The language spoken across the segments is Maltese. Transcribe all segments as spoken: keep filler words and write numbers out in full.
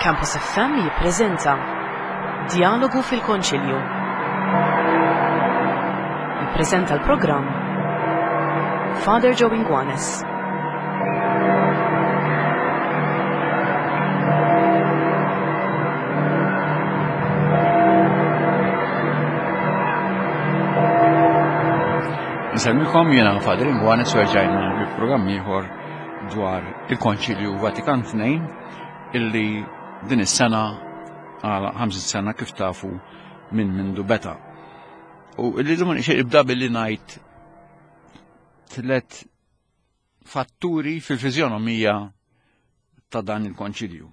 Campus F M jippreżenta Dialogu fil-Konċilju. Jippreżenta l-programm Father Joe Inguanes. Nsemmikom jiena Father Inguanes u rġajna bi programm ieħor dwar il-Konċilju Vatikan tnejn illi din is-sena għal ħamsin sena kif tafu minn mindu beta. U illi dum nixtieq nibda billi ngħid tliet fatturi fil-fiżjonomija ta' dan il-Konċilju.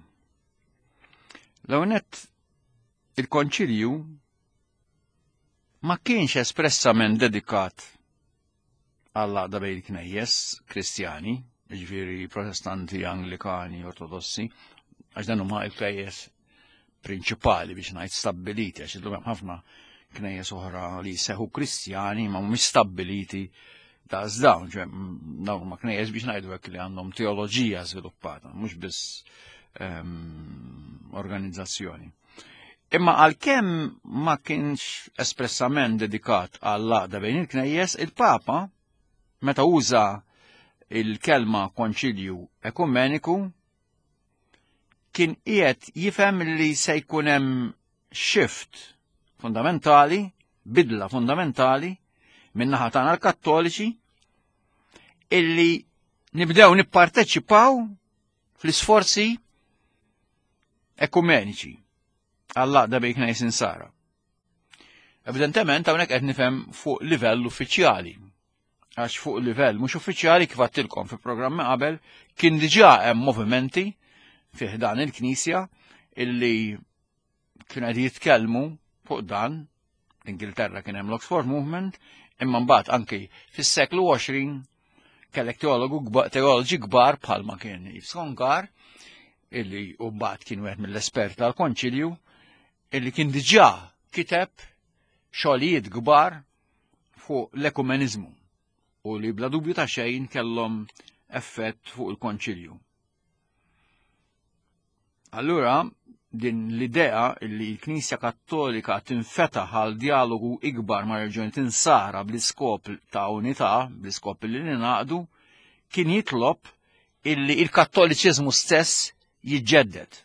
L-ewwel nett, il-Konċilju ma kienx espressament dedikat għall-għaqda bejn il-knejjes Kristjani, jiġifieri Protestanti, Anglikani, Ortodossi, għax dan huma l-knejjes prinċipali biex ngħid stabbiliti, għax illum hemm ħafna knejjes oħra li jseħħu Kristjani ma mhumiex stabbiliti daqs dawn, ġe, dawn huma knejjes biex ngħidu hekk li għandhom teoloġija żviluppata, mhux biss, ehm, organizzazzjoni. Imma għalkemm ma kienx espressament dedikat għall-għaqda bejn il-knejjes, il-Papa meta uża il-kelma konċilju ekumeniku kien qiegħed jifhem li se jkun hemm shift fundamentali, bidla fundamentali min-naħa tagħna l-Kattoliċi illi nibdew nipparteċipaw fl-isforzi ekumeniċi għall-għaqda bejn knejjes insara. Evidentement hawnhekk qed nifhem fuq livell uffiċjali, għax fuq livell mhux uffiċjali kif għedtilkom fi programmi qabel kien diġà hemm movimenti fih dan il-Knisja illi kienu qed jitkellmu fuq dan. L-Ingilterra kien hemm l-Oxford Movement, imma mbagħad anki fis-seklu għoxrin kellek teologu kba-, teoloġi kbar bħalma kien Yves Congar, illi u mbagħad kien wieħed mill-espert tal-Konċilju, illi kien diġà kiteb xogħlijiet kbar fuq l-ekumeniżmu u li bla dubju ta' xejn kellhom effett fuq il-Konċilju. Allura, din l-idea li l-Knisja Kattolika tinfetaħ għal dialogu ikbar ma' reġjoni tinsara bl-iskop ta' unità, bl-iskop li ninaqdu, kien jitlob illi il-Kattoliċiżmu stess jiġġedded.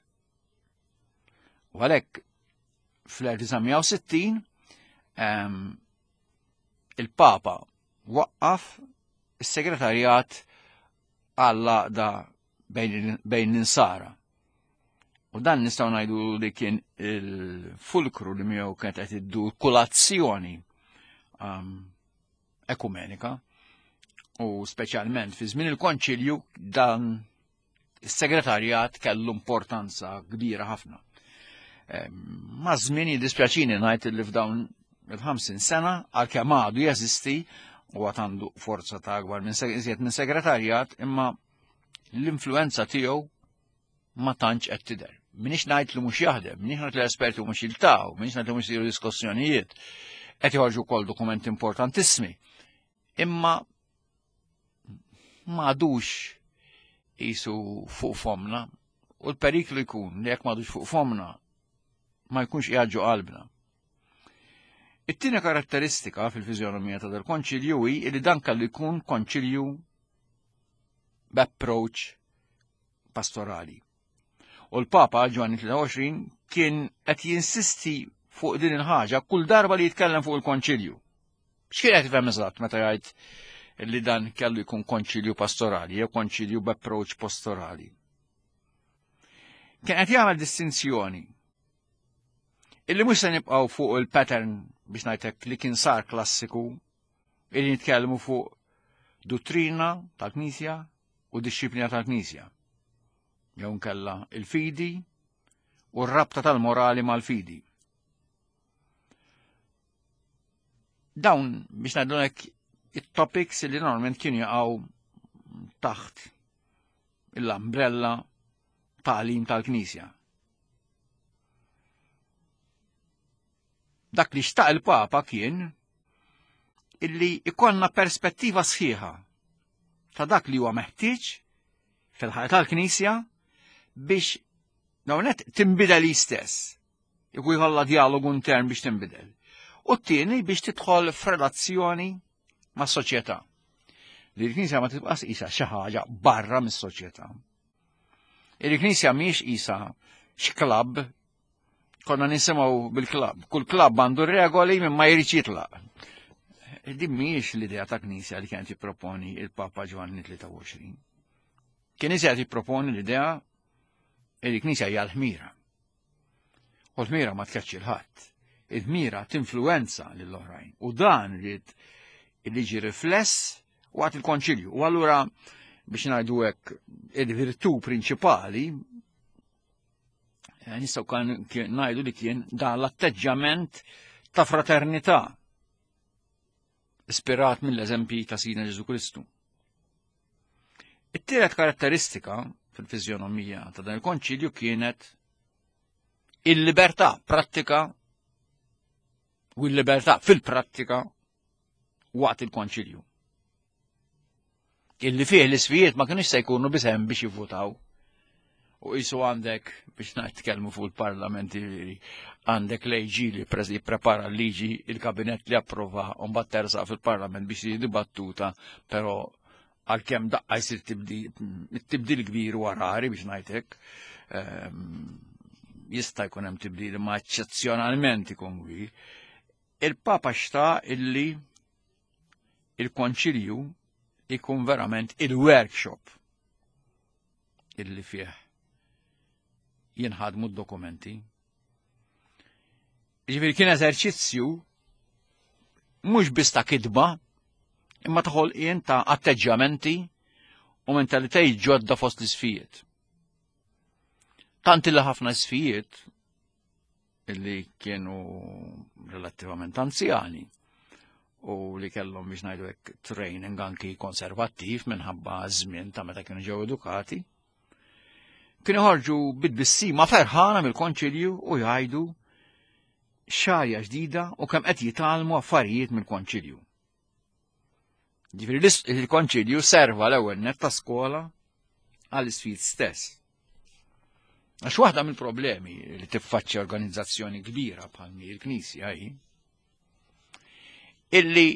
U għalhekk fl-elf disa' mija u sittin, ehm, il-Papa waqqaf is-segretarjat għall-għaqda bejn, bejn l-insara. U dan nistgħu ngħidu li kien il-fulkru li miegħu kienet qed iddur kulazzjoni, um, ekumenika, u speċjalment fi żmien il-Konċilju dan is-segretarjat kellu importanza kbira ħafna. Em, ma' żmien jiddispjaċini ngħid li f'dawn il-ħamsin sena għalkemm għadu jeżisti u għad għandu forza ta' akbar minn seg-, iżjed minn segretarjat, imma l-influenza tiegħu ma tantx qed tidher. Minix ngħid li mhux jaħdem, minix ngħid li l-esperti mhux jiltaqgħu, minix ngħid li mhux isiru diskussjonijiet, qed joħorġu wkoll dokumenti importantissimi. Imma ma għadux qisu fuq fomna, u l-periklu jkun li jekk ma għadux fuq fomna ma jkunx qiegħed ġo qalbna. It-tieni karatteristika fil-fiżjonomija ta' dal-konċilju hi li dan kellu jkun konċilju b'approach pastorali. U l-Papa Ġwanni tlieta u għoxrin kien qed jinsisti fuq din il-ħaġa kull darba li jitkellem fuq il-konċilju. X'kien qed jifhem eżatt meta jgħid li dan kellu jkun konċilju pastorali jew konċilju b'approach pastorali? Kien qed jagħmel distinzjoni illi mhux se nibqgħu fuq il-pattern biex ngħidlek li kien sar klassiku illi nitkellmu fuq dottrina tal-Knisja u dixxiplina tal-Knisja. Jew nkella il-fidi u r-rabta tal-morali mal-fidi. Dawn biex ngħidu hekk it-topics li normalment kienu jaqgħu taħt l-umbrella tagħlim tal-Knisja. Dak li xtaq il-Papa kien illi ikollna perspettiva sħiħa ta' dak li huwa meħtieġ fil-ħajja tal-Knisja biex Dawnet tinbidel istess. Jekk jkollha dialogu intern biex tinbidel. U t-tieni biex tidħol f'relazzjoni ma' soċjetà. Li l-Knisja ma tibqax qisha xi ħaġa barra mis-soċjetà. Il-Knisja mhijiex qisha x'klabb, konna nisimgħu bil-klabb. Kull klabb għandu regoli minn ma jridx jitlaq. Din mhijiex l-idea ta' Knisja li kienet jipproponi il-Papa Ġwanni tlieta u għoxrin. Kien iżjed jipproponi l-idea li l-Knisja hija l-ħmira. U l-ħmira ma tkeċċi l-ħadd. Il-ħmira tinfluwenza lill-oħrajn. U dan rrid li ġi rifless waqt il-konċilju. U allura biex ngħidu hekk il-virtù prinċipali nistgħu ngħidu li kien dan l-atteġġjament ta' fraternità ispirat mill-eżempji ta' Sidna Ġesu Kristu. It-tielet karatteristika fil-fiżjonomija ta' dan il-konċilju kienet il-libertà prattika u l-libertà fil-prattika waqt il-konċilju. Illi fih l-isfijiet ma kienux se jkunu biss hemm biex jivvutaw. U qisu għandek, biex nitkellmu fuq il-parlamenti, għandek l-A G li jipprepara l-liġi, il-kabinet li approva, u mbagħad tersaq fil-parlament biex tiġi dibattuta, però għalkemm daqqa jsir tibdil kbir u rari biex ngħidlek, jista' jkun hemm tibdil imma eċċezzjonalment ikun kbir. Il-Papa xtaq illi il-konċilju ikun verament il-workshop illi fih jinħadmu d-dokumenti. Ġifieri kien eżerċizzju mhux biss ta' kitba, imma ta' ħolqien ta' atteġġjamenti u mentalitajiet ġodda fost l-isfijiet. Tant illi ħafna isfijiet illi kienu relattivament anzjani u li kellhom biex ngħidu hekk training anki konservattiv minħabba żmien ta' meta kienu ġew edukati, kienu ħarġu bid-bissima ferħana mill-konċilju u jgħidu xarja ġdida u kemm qed jitgħallmu affarijiet mill-konċilju. Ġifieri il-konċilju serva l-ewwel nett ta' skola għall-isfid stess. Għax waħda mill-problemi li tiffaċċja organizzazzjoni kbira bħal mi l-Knisja hi illi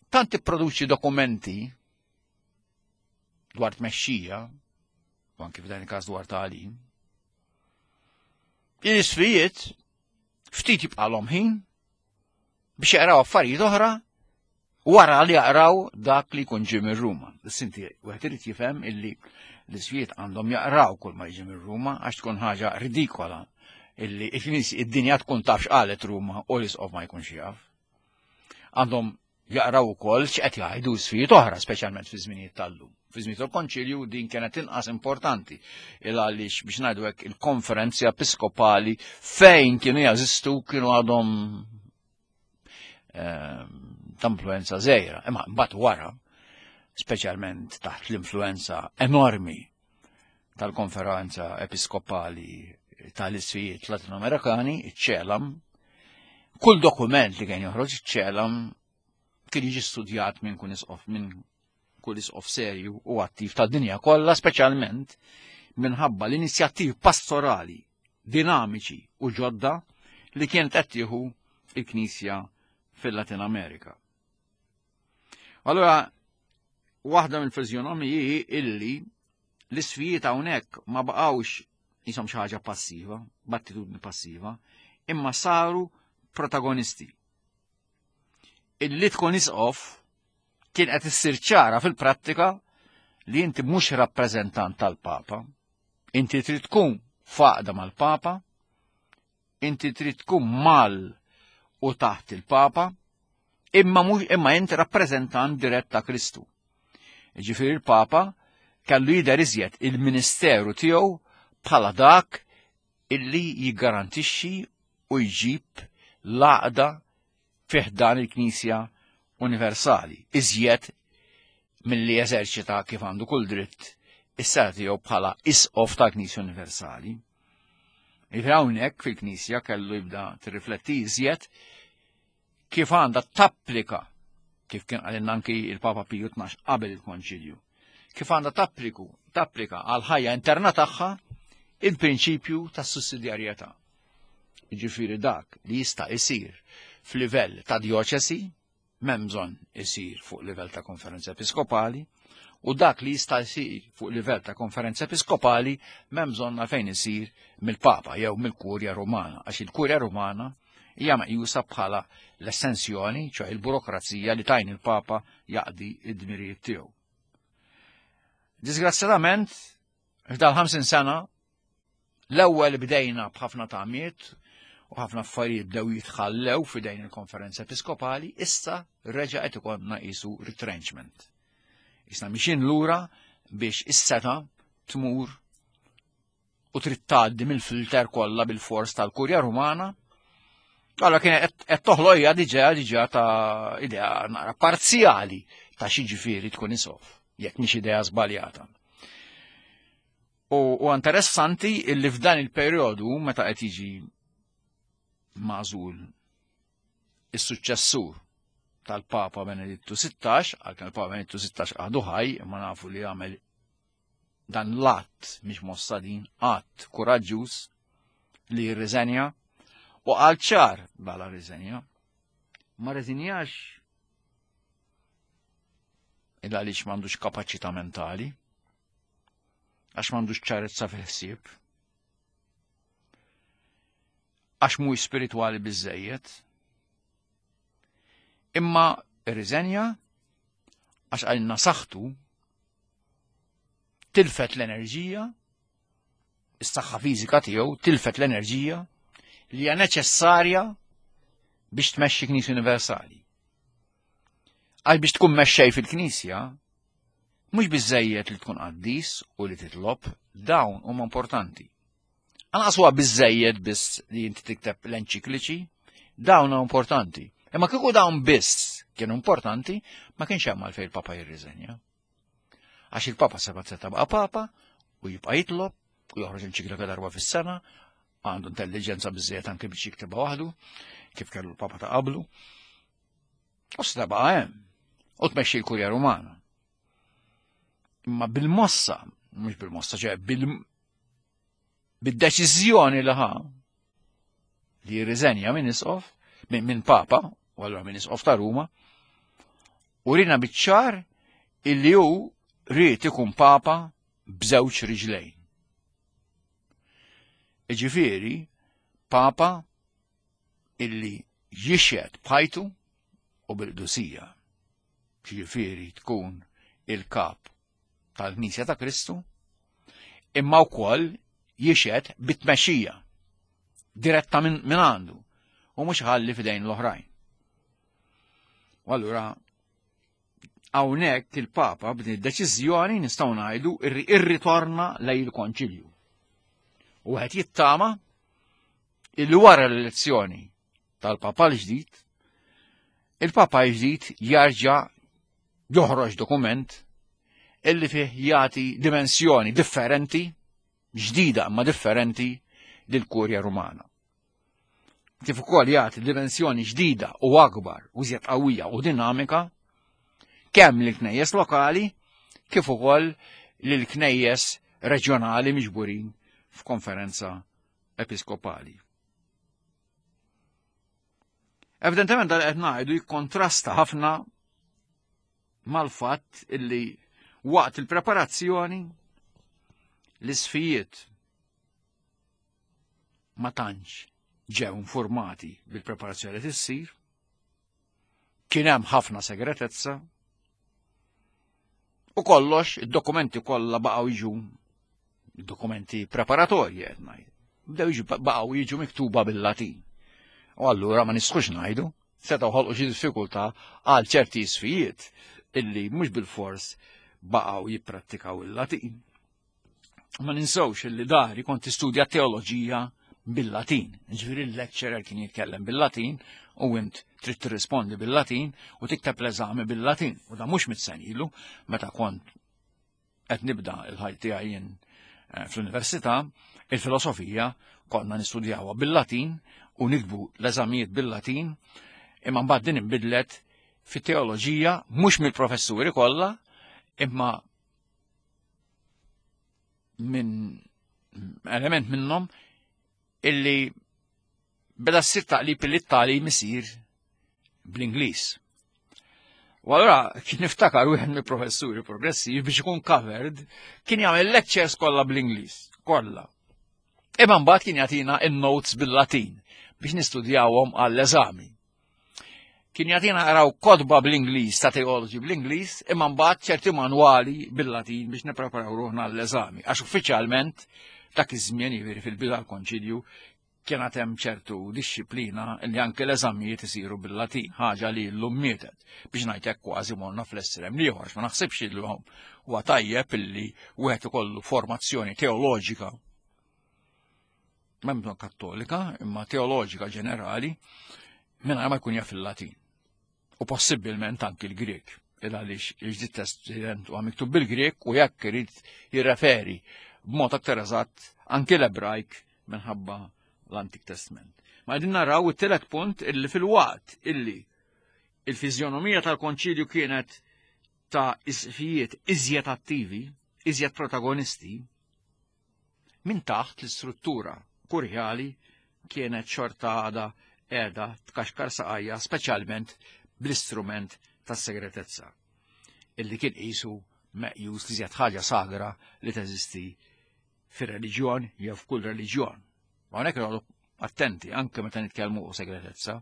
tant tipproduċi dokumenti dwar tmexxija, u anki f'dan il-każ dwar tagħlim, l-isfijiet ftit jibqalhom ħin biex jaqraw affarijiet oħra wara li jaqraw dak li jkun ġie minn Ruma. Sinti wieħed irid jifhem illi l-isfijiet għandhom jaqraw kull ma jiġi minn Ruma għax tkun ħaġa ridikola illi id-dinja tkun taf x'qalet Ruma u l-isqof ma jkunx jaf. Għandhom jaqraw ukoll x'qed jgħidu sfijiet oħra, speċjalment fi żminijiet tal-lum. Fi żmien tal-Konċilju din kienet inqas importanti il għaliex biex ngħidu hekk il-konferenzi episkopali fejn kienu jażistu kienu għadhom ta' influenza żgħira. Imma mbagħad wara, speċjalment taħt l-influenza enormi tal-konferenza episkopali tal-isfijiet Latinoamerikani, iċ-ċelam, kull dokument li kien joħroġ iċ-ċelam kien jiġi studjat minn kun isqof, minn kull isqof serju u attiv tad-dinja kollha, speċjalment minħabba l-inizjattivi pastorali dinamiċi u ġodda li kienet qed tieħu il-Knisja fil-Latin Amerika. Allora, waħda mill-fiżjonomiji hi illi l-isfijiet hawnhekk ma baqgħux jisom xi ħaġa passiva, b'attitudni passiva, imma saru protagonisti. Illi tkun isqof kien qed issir ċara fil-prattika li inti mhux rappreżentant tal-Papa, inti trid tkun faqda mal-Papa, inti trid tkun mal u taħt il-Papa, imma mhux imma inti rappreżentant dirett ta' Kristu. Ġifieri il-Papa kellu jidher iżjed il-ministeru tiegħu bħala dak illi jiggarantixxi u jġib l-għaqda fih dan il-Knisja universali, iżjed milli jeżerċita kif għandu kull dritt is-seta tiegħu bħala isqof ta' Knisja Universali. Jiġifieri hawnhekk fil-Knisja kellu jibda tirrifletti iżjed kif għandha tapplika, kif kien qalilna anki il-Papa Piju tnax qabel il-Konċilju, kif għandha tappliku, tapplika għal ħajja interna tagħha Il-prinċipju tas-sussidjarjetà. Jiġifieri dak li jista' isir f'livell ta' djoċesi m'hemm bżonn isir fuq livell ta' konferenza episkopali, u dak li jista' jsir fuq livell ta' konferenza episkopali m'hemm bżonn għalfejn isir mill-Papa jew mill-Kurja Rumana, għax il-Kurja Rumana hija meqjusa bħala l-estensjoni, ċoè il-burokrazija li tajn il-Papa jaqdi id-dmirijiet tiegħu. Disgrazzjatament, f'dal ħamsin sena, l-ewwel bdejna b'ħafna tamiet u ħafna affarijiet bdew jitħallew f'idejn il-konferenza episkopali, issa reġa' qed ikollna qisu retrenchment. Issa mixin lura biex is-seta tmur u trid tgħaddi mill-filter kollha bil-fors tal-Kurja Rumana. Allora kien qed toħloqha diġà diġà ta' idea nara parzjali ta' xi ġifieri tkun isqof, jekk mhix idea żbaljata. U, u interessanti illi f'dan il-perjodu meta qed jiġi magħżul is-suċċessur tal-Papa Benedittu sittax, għalkemm il-Papa Benedittu sittax għadu ħaj, imma nafu li għamel dan l-att, mhix mossa din, att kuraġġuż li jirriżenja, u qal ċar bala riżenja. Ma rriżenjax illa għaliex m'għandux kapaċità mentali, għax m'għandux ċarezza fil-ħsieb, għax mhuwiex spiritwali biżżejjed, imma rriżenja għax għalina saħħtu tilfet l-enerġija, is-saħħa fiżika tiegħu tilfet l-enerġija li hija neċessarja biex tmexxi Knisja Universali. Għal biex tkun mexxej fil-Knisja, mhux biżżejjed li tkun qaddis u li titlob, dawn huma importanti. Anqas huwa biżżejjed biss li inti tikteb l-enċikliċi, dawn huma importanti. Imma kieku dawn biss kienu importanti, ma kienx hemm għalfejn il-Papa jirriżenja. Għax il-Papa seba' seta' baqa' Papa u jibqa' jitlob u joħroġ enċiklika darba fis-sena, għandu intelligenza biżżejjed anke biex jiktibha waħdu, kif kellu l-Papa ta' qablu. U seta' baqa' hemm u tmexxi l-Kurja Rumana. Imma bil-mossa, mhux bil-mossa, ċe bil bid-deċiżjoni li ħa li jirriżenja minn isqof, minn min Papa, u allura minn isqof ta' Ruma, u rina biċ-ċar illi hu ried ikun Papa b'żewġ riġlejn. Iġifieri, Papa illi jixhed b'ħajtu u bil-qdusija. Ġifieri tkun il-kap tal-Knisja ta' Kristu, imma wkoll jixhed bit-tmexxija diretta minn min għandu u mhux ħalli f'idejn l-oħrajn. U allura hawnhekk il-Papa b'din id-deċiżjoni nistgħu ngħidu irritorna lejn il-Konċilju. U qed jittama illi wara l-elezzjoni tal-Papa l-ġdid, il-Papa l-ġdid jarġa' joħroġ dokument illi fih jagħti dimensjoni differenti, ġdida ma differenti, lill-Kurja Rumana. Kif ukoll jagħti dimensjoni ġdida u akbar u żjed qawwija u dinamika kemm lill-knejjes lokali kif ukoll lill-knejjes reġjonali miġburin f'konferenza episkopali. Evidentement dan qed ngħidu jikkontrasta ħafna mal-fatt illi waqt il-preparazzjoni l-isfijiet ma tantx ġew informati bil-preparazzjoni li tissir, kien hemm ħafna segretezza, u kollox id-dokumenti kollha baqgħu jiġu dokumenti preparatorji qed ngħid. Bdew jiġu baqgħu jiġu miktuba bil-Latin. U allura ma nistgħux ngħidu setgħu ħolqu xi diffikultà għal ċerti isfijiet illi mhux bil-fors baqgħu jipprattikaw il-Latin. Ma ninsewx illi dari kont tistudja teoloġija bil-Latin. Ġifieri l-lecturer kien jitkellem bil-Latin u int trid tirrispondi bil-Latin u tikteb l-eżami bil-Latin. U da mhux mit-sen ilu, meta kont qed nibda l-ħajja tiegħi jien fl-università, il-filosofija konna nistudjawha bil-Latin u nikbu l-eżamijiet bil-Latin, imma mbagħad din inbidlet fit-teoloġija mhux mill-professuri kollha, imma minn element minnhom illi beda ssir taqlib li t-tagħlim isir bl-Ingliż. U allura kien niftakar wieħed mill-professuri progressivi biex ikun covered kien jagħmel lectures kollha bl-Ingliż, kollha. Imma mbagħad kien jagħtina in-notes bil-Latin biex nistudjawhom għall-eżami. Kien jagħtina naqraw kotba bl-Ingliż ta' teoloġi bl-Ingliż, imma mbagħad ċerti manwali bil-Latin biex nippreparaw ruħna għall-eżami. Għax uffiċjalment dak iż-żmien jiġifieri fil-bidu tal-konċilju kien hemm ċertu dixxiplina li anke l-eżamijiet isiru bil-Latin, ħaġa li llum mietet. Biex ngħidlek kważi morna fl-estrem l-ieħor, ma naħsibx li huwa tajjeb illi wieħed ikollu formazzjoni teoloġika m'hemm kattolika, imma teoloġika ġenerali, mingħajr ma jkun jaf il-Latin. U possibbilment anki l-Grek. Il għaliex il-Ġdid Testament huwa miktub bil-Grek u jekk irid jirreferi b'mod aktar eżatt anki l-Ebrajk minħabba l-Antik Testament. Ma qegħdin naraw it-tielet punt illi fil-waqt illi il-fiżjonomija tal-konċilju kienet ta' isqfijiet iżjed attivi, iżjed protagonisti, minn taħt l-istruttura kurjali kienet xorta għada qiegħda tkaxkar saqajja speċjalment bl-istrument tas-segretezza illi kien qisu meqjus li żjed ħaġa sagra li teżisti fir-reliġjon jew f'kull reliġjon. Ma hawnhekk noqogħdu attenti anke meta nitkellmu fuq segretezza.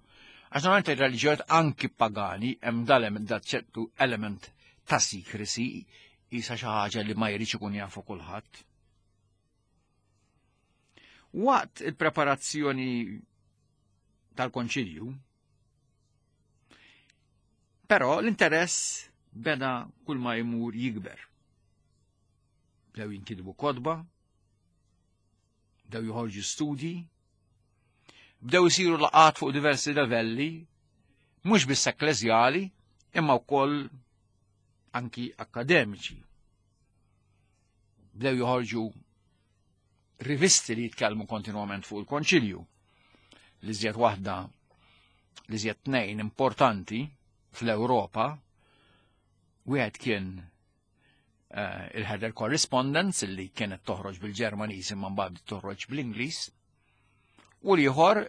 Għax normalment ir-reliġjonijiet anki pagani hemm dal da ċertu element ta' secrecy isa xi ħaġa li ma jridx ikun jafu kulħadd. Waqt il-preparazzjoni tal-konċilju, però l-interess beda kull ma jmur jikber. Bdew jinkitbu kotba, bdew joħorġu studji, bdew isiru laqgħat fuq diversi livelli, mhux biss ekkleżjali, imma wkoll anki akademiċi. Bdew joħorġu rivisti li jitkellmu kontinwament fuq il-konċilju. Li żjed waħda, li żjed tnejn importanti fl-Ewropa, wieħed kien uh, il-Herder Correspondence li kienet toħroġ bil-Ġermaniż imma mbagħad toħroġ bl-Ingliż, u l-ieħor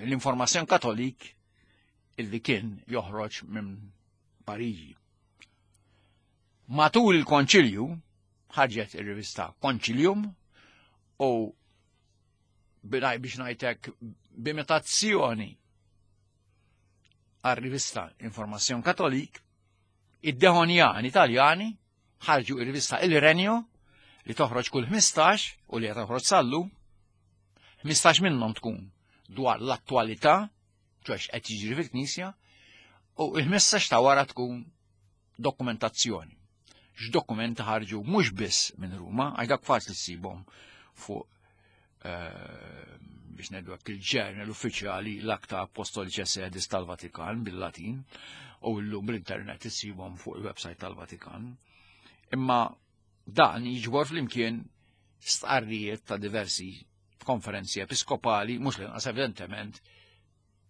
l-Information Catholique illi kien joħroġ minn Pariġi. Matul il-konċilju ħarġet ir-rivista Concilium u biex ngħidlek b'imitazzjoni għar-rivista Information Catholique, id-Dehonjani Italjani ħarġu ir-rivista Il Regno li toħroġ kull ħmistax u li toħroġ sal-lum, ħmistax minnhom tkun dwar l-attwalità, ċoħx qed jiġri fil-Knisja, u il-ħmistax ta' wara tkun dokumentazzjoni. X'dokumenti ħarġu mhux biss minn Ruma, għax dak faċli ssibhom fuq biex ngħidu hekk il-ġurnal uffiċjali l-Acta Apostolicae Sedis tal-Vatikan bil-Latin u llum bl-internet issibhom fuq il-website tal-Vatikan. Imma dan jiġbor flimkien stqarrijiet ta' diversi konferenzi episkopali, mhux l-inqas evidentement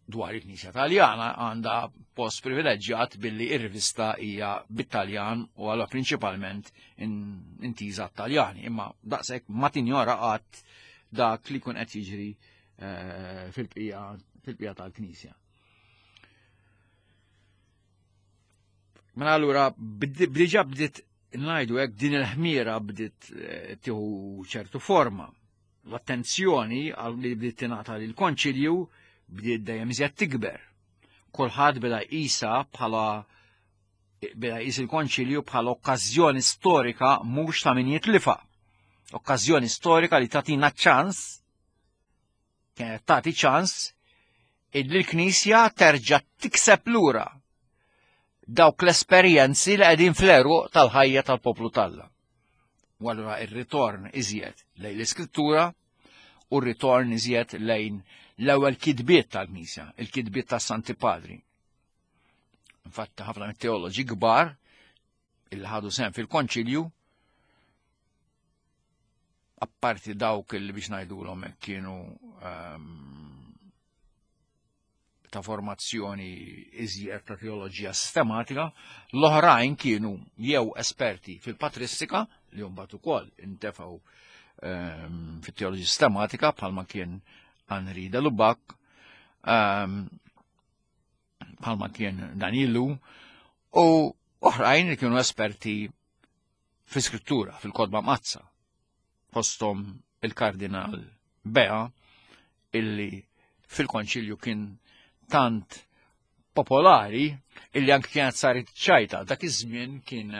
dwar il-Knisja Taljana għandha post privileġġjat billi ir-rivista hija bit-Taljan u għalha prinċipalment intiża Taljani, imma daqshekk ma tinjora qatt dak li jkun qed jiġri fil-bqija fil-bqija tal-Knisja. Mela allura diġà bdiet ngħidu hekk din il-ħmiera bdiet tieħu ċertu forma. L-attenzjoni li bdiet tingħata lill-konċilju bdiet dejjem iżjed tikber. Kulħadd beda jqisha bħala beda jqis il-konċilju bħala okkażjoni storika mhux ta' min jitlifa. Okkażjoni storika li tagħtina ċans, kienet tagħti ċans illi l-Knisja terġa' tikseb lura dawk l-esperjenzi li qegħdin fl-għeruq tal-ħajja tal-poplu t'Alla. U allura ir-ritorn iżjed lejn l-Iskrittura u r-ritorn iżjed lejn l-ewwel kitbiet tal-Knisja, il-kitbiet tas-Santi Padri. Infatti ħafna mit-teoloġi kbar illi ħadu sehem fil-konċilju, apparti dawk li biex ngħidulhom hekk kienu um, ta' formazzjoni iżjed ta' teoloġija sistematika, l-oħrajn kienu jew esperti fil-patristika, li mbagħad ukoll intefgħu ehm, fit-teoloġija sistematika bħalma kien Henri de Lubac, ehm, bħalma kien Danielu, u oħrajn li kienu esperti fi skrittura, fil-Kotba Mqaddsa, fosthom il-Kardinal Bea, illi fil-konċilju kien tant popolari illi anke kienet saret ċajta. Dak iż-żmien kien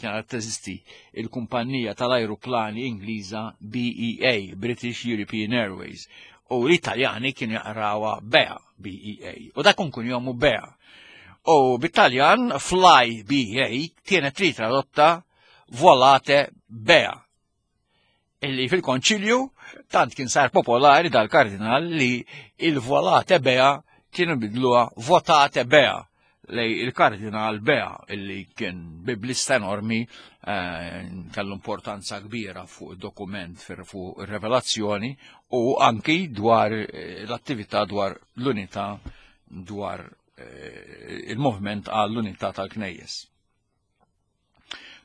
kienet teżisti il-kumpanija tal-ajruplani Ingliża B E A, British European Airways, u l-Italjani kienu jaqrawha Bea, B E A, u dak kun jomu Bea. U bit-Taljan Fly B E A kienet tri tradotta Volate Bea. Illi fil-konċilju tant kien sar popolari dal-kardinal li il-Volate Bea kienu bidluha Votate Bea lej il-kardinal Bea, illi kien biblista enormi, eh, kellu importanza kbira fuq dokument fuq il-revelazzjoni u anki dwar eh, l-attività dwar l-unità, dwar eh, il-movement għall-unità tal-Knejjes.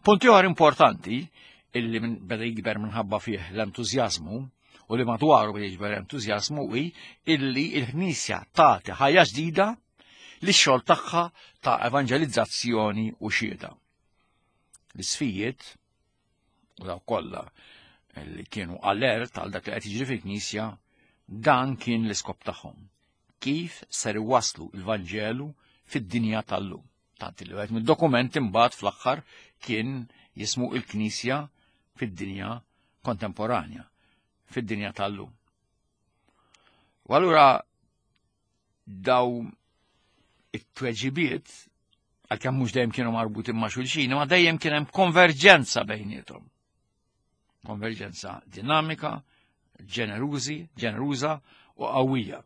Punti oħra importanti illi beda jikber minħabba fih l-entużjażmu u li madwaru beda jikber entużjażmu hi illi il-Knisja tagħti ħajja ġdida li xogħol tagħha ta' evanġelizzazzjoni u xhieda. L-isqfijiet u daw kollha li kienu alert għal dak li qed jiġri fil-Knisja, dan kien l-iskop tagħhom. Kif ser iwaslu il-Vanġelu fid-dinja tal-lum? Tant li wieħed mid-dokumenti mbagħad fl-aħħar kien jismu il-Knisja fid-dinja kontemporanja, fid-dinja tal-lum. U allura daw it-tweġibiet, għalkemm mhux dejjem kienu marbutin ma' xulxin, ma dejjem kien hemm konverġenza bejniethom. Konverġenza dinamika, ġenerużi, ġeneruża u qawwija.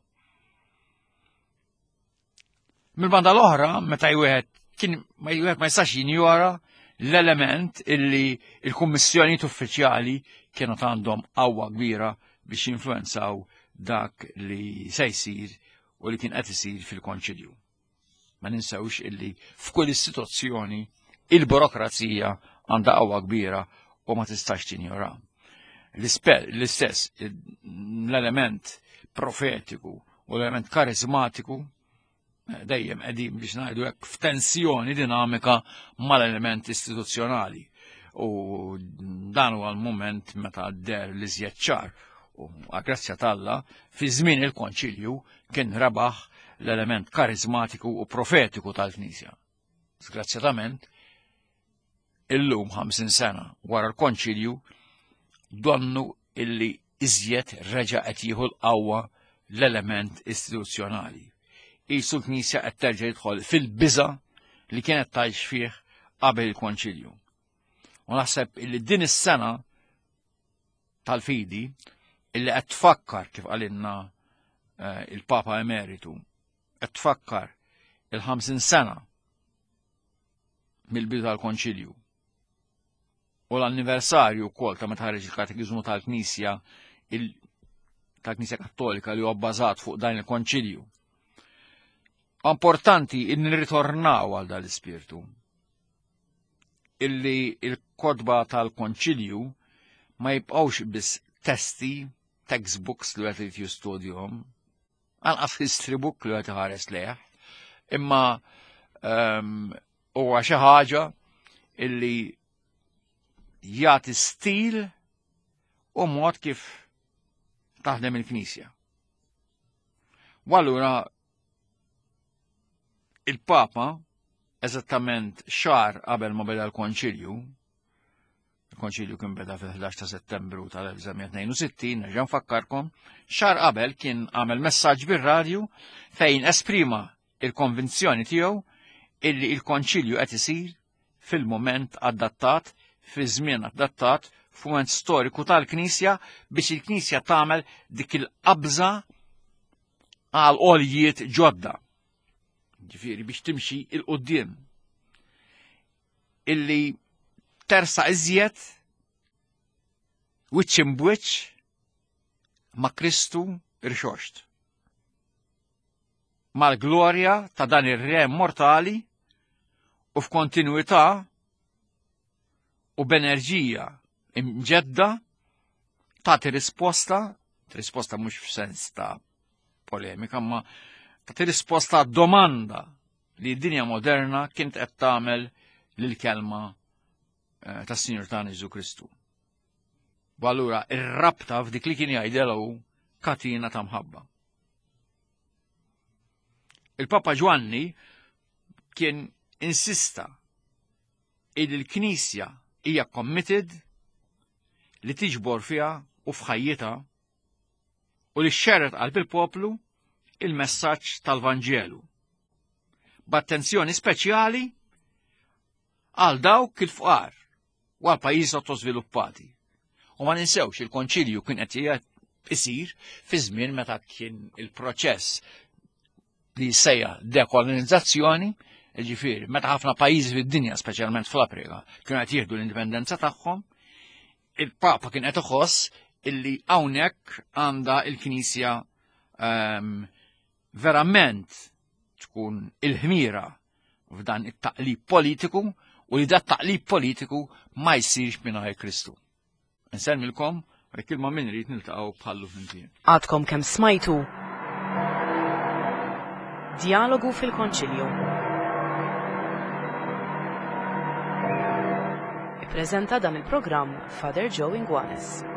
Mill-banda l-oħra, meta wieħed kien ma wieħed ma jistax jinjora l-element illi il-kummissjonijiet uffiċjali kienu għandhom qawwa kbira biex jinfluenzaw dak li se jsir u li kien qed isir fil-konċilju. Ma ninsewx illi f'kull istituzzjoni il-burokrazija għandha qawwa kbira u ma tistax tinjora. L-istess l-element profetiku u l-element karizmatiku eh, dejjem qegħdin, biex ngħidu hekk, f'tensjoni dinamika mal-element istituzzjonali. U dan huwa l-moment meta deher l-iżjed ċar u grazzja t'Alla fi żmien il-konċilju kien rebaħ l-element karizmatiku u profetiku tal-Knisja. Sgrazzjatament, illum ħamsin sena wara l-konċilju, donnu illi iżjed reġa' qed jieħu l-qawwa l-element istituzzjonali. Qisu l-Knisja qed terġa' jidħol fil-biża li kienet tgħix fih qabel il-konċilju. U naħseb illi din is-sena tal-fidi illi qed tfakkar, kif qalilna eh, il-Papa Emeritu, qed tfakkar il-ħamsin sena mill-bidu tal-konċilju u l-anniversarju wkoll ta' meta ħareġ il-Katekiżmu tal-Knisja tal-Knisja Kattolika li huwa bbażat fuq dan il-konċilju. Importanti in nirritornaw għal dan l-ispirtu illi il-kotba tal-konċilju ma jibqawx biss testi, textbooks li qed jistudjhom, anqas history book li qed iħares lejh, imma ehm, huwa xi ħaġa illi jagħti stil u mod kif taħdem il-Knisja. U allura il-Papa, eżattament xahar qabel ma beda l-Konċilju, il-Konċilju kien beda fil-ħdax ta' Settembru tal-elf disa' mija tnejn u sittin, nerġa' nfakkarkom, xahar qabel kien għamel messaġġ bir-radju fejn esprima il-konvinzjoni tiegħu illi il-Konċilju qed isir fil-moment adattat, fi żmien adattat, f'mument storiku tal-Knisja biex il-Knisja tagħmel dik il-qabża għal għoljiet ġodda. Ġifieri biex timxi 'l quddiem. Illi tersa iżjed wiċċ imbwiċċ ma' Kristu irxoxt. Mal-glorja ta' dan ir-re mortali u f'kontinuità u b'enerġija imġedda. Tagħti risposta, risposta mhux f'sens ta' polemika, ma tagħti risposta domanda li d-dinja moderna kienet qed tagħmel lill-kelma eh, tas-Sinjur tagħna Ġesu Kristu. U allura ir-rabta f'dik li kien jgħidelu katina ta' mħabba. Il-Papa Ġwanni kien insista il l-Knisja hija committed li tiġbor fiha u f'ħajjitha u li xxerred qalb il-poplu il-messaġġ tal-Vanġelu. B'attenzjoni speċjali għal dawk il-fqar u għal pajjiżi sottosviluppati. U ma ninsewx, il-konċilju kien qed isir fi żmien meta kien il-proċess li jsejjaħ dekolonizzazzjoni, ġifieri, meta ħafna pajjiżi fid-dinja, speċjalment fl-Afrika, kienu qed jieħdu l-indipendenza tagħhom, il-Papa kien qed iħoss illi hawnhekk għandha il-Knisja um, verament tkun il-ħmira f'dan it-taqlib politiku u li dat taqlib politiku ma jsirx mingħajr Kristu. Insellmilkom, jekk il-Mulej irid niltaqgħu bħallu flimkien. Għadkom kemm smajtu Djalogu fil-Konċilju. Ippreżenta dan il-programm Father Joe Inguanes.